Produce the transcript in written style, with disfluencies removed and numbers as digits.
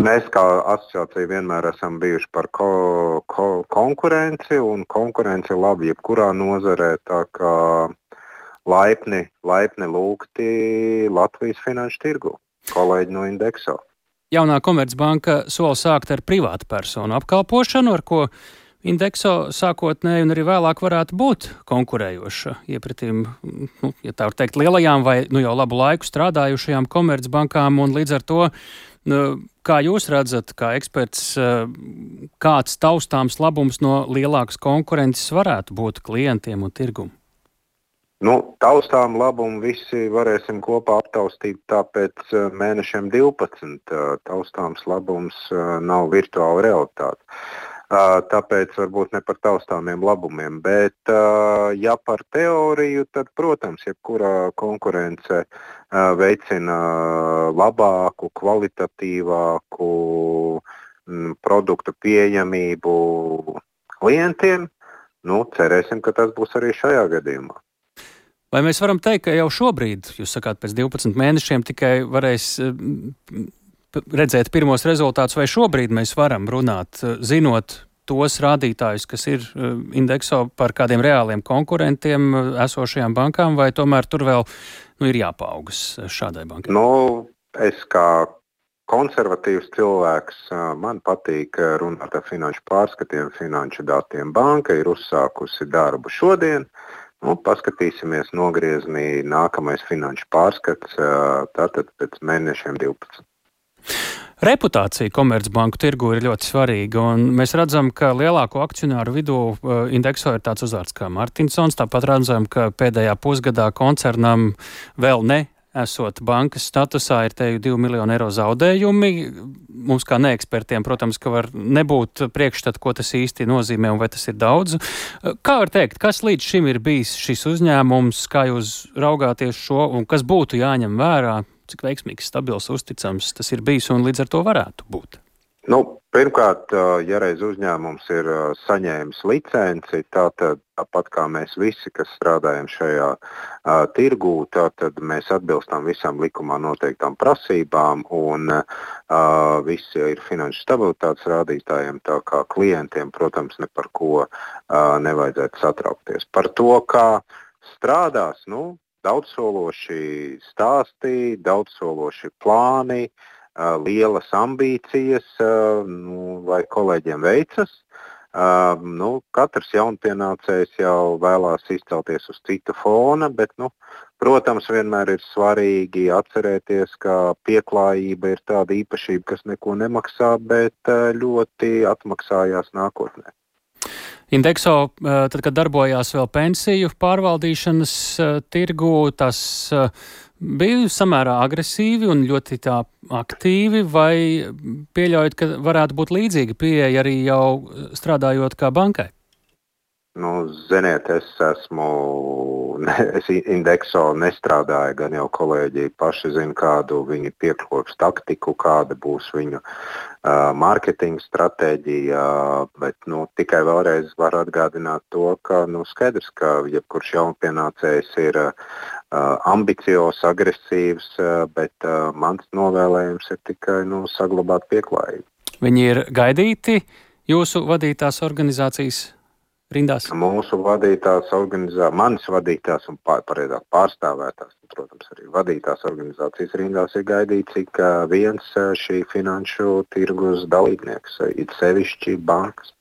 Mēs kā asociācija vienmēr esam bijuši par konkurenci, un konkurence ir laba jebkurā nozarē. Tā kā laipni lūgti Latvijas finanšu tirgu, kolēģi no Indexo. Jaunā Komercbanka sola sākt ar privātu personu apkalpošanu, ar ko Indexo sākotnēji un arī vēlāk varētu būt konkurējoša iepratīm, ja tā var teikt, lielajām vai jau labu laiku strādājušajām komercbankām, un līdz ar to, kā jūs redzat, kā eksperts, kāds taustāms labums no lielākas konkurences varētu būt klientiem un tirgumu? Taustām labumu visi varēsim kopā aptaustīt pēc mēnešiem 12. Taustāms labums nav virtuāla realitāte. Tāpēc varbūt ne par taustāmiem labumiem, bet ja par teoriju, tad, protams, jebkura konkurence veicina labāku, kvalitatīvāku produktu pieejamību klientiem. Cerēsim, ka tas būs arī šajā gadījumā. Vai mēs varam teikt, ka jau šobrīd, jūs sakāt, pēc 12 mēnešiem tikai varēs redzēt pirmos rezultātus, vai šobrīd mēs varam runāt, zinot tos rādītājus, kas ir Indexo, par kādiem reāliem konkurentiem esošajām bankām, vai tomēr tur vēl ir jāpaaugas šādai bankai? Es kā konservatīvs cilvēks, man patīk runāt ar finanšu pārskatiem, finanšu datiem. Banka ir uzsākusi darbu šodien. Paskatīsimies nogriezni nākamais finanšu pārskats, tātad pēc mēnešiem 12. Reputācija Komercbanku tirgu ir ļoti svarīga, un mēs redzam, ka lielāko akcionāru vidū Indexo ir tāds uzvārds kā Martinsons. Tāpat redzam, ka pēdējā pusgadā koncernam vēl esot bankas statusā ir te 2 miljoni eiro zaudējumi. Mums kā neekspertiem, protams, ka var nebūt priekšstat, ko tas īsti nozīmē un vai tas ir daudz. Kā var teikt, kas līdz šim ir bijis šis uzņēmums, kā jūs raugāties šo un kas būtu jāņem vērā? Cik veiksmīgs, stabils, uzticams tas ir bijis un līdz ar to varētu būt? Pirmkārt, ja reiz uzņēmums ir saņēmis licenci, tāpat kā mēs visi, kas strādājam šajā tirgū, tad mēs atbilstam visām likumā noteiktām prasībām un visi ir finanšu stabilitātes rādītājiem, tā kā klientiem, protams, ne par ko nevajadzētu satraukties. Par to, kā strādās, daudzsološi stāsti, daudzsološi plāni, lielas ambīcijas, vai kolēģiem veicas. Katrs jaunpienācējs jau vēlās izcelties uz cita fona, bet, protams, vienmēr ir svarīgi atcerēties, ka pieklājība ir tāda īpašība, kas neko nemaksā, bet ļoti atmaksājās nākotnē. Indexo, tad, kad darbojās vēl pensiju pārvaldīšanas tirgu, tas bija samērā agresīvi un ļoti tā aktīvi, vai pieļaujat, ka varētu būt līdzīga pieeja arī jau strādājot kā bankai? Ziniet, es Indexo nestrādāju, gan jau kolēģi paši zina, kādu viņi piekloks taktiku, kāda būs viņu mārketinga stratēģija, bet tikai vēlreiz var atgādināt to, ka skaidrs, ka jebkurš jaunpienācējs ir ambiciozs, agresīvs, bet mans novēlējums ir tikai saglabāt pieklājību. Viņi ir gaidīti jūsu vadītās organizācijas rindās? Mūsu vadītās organizācijas, manas vadītās un pareizāk pārstāvētās, protams, arī vadītās organizācijas rindās ir gaidīts ik viens šī finanšu tirgus dalībnieks, it sevišķi bankas.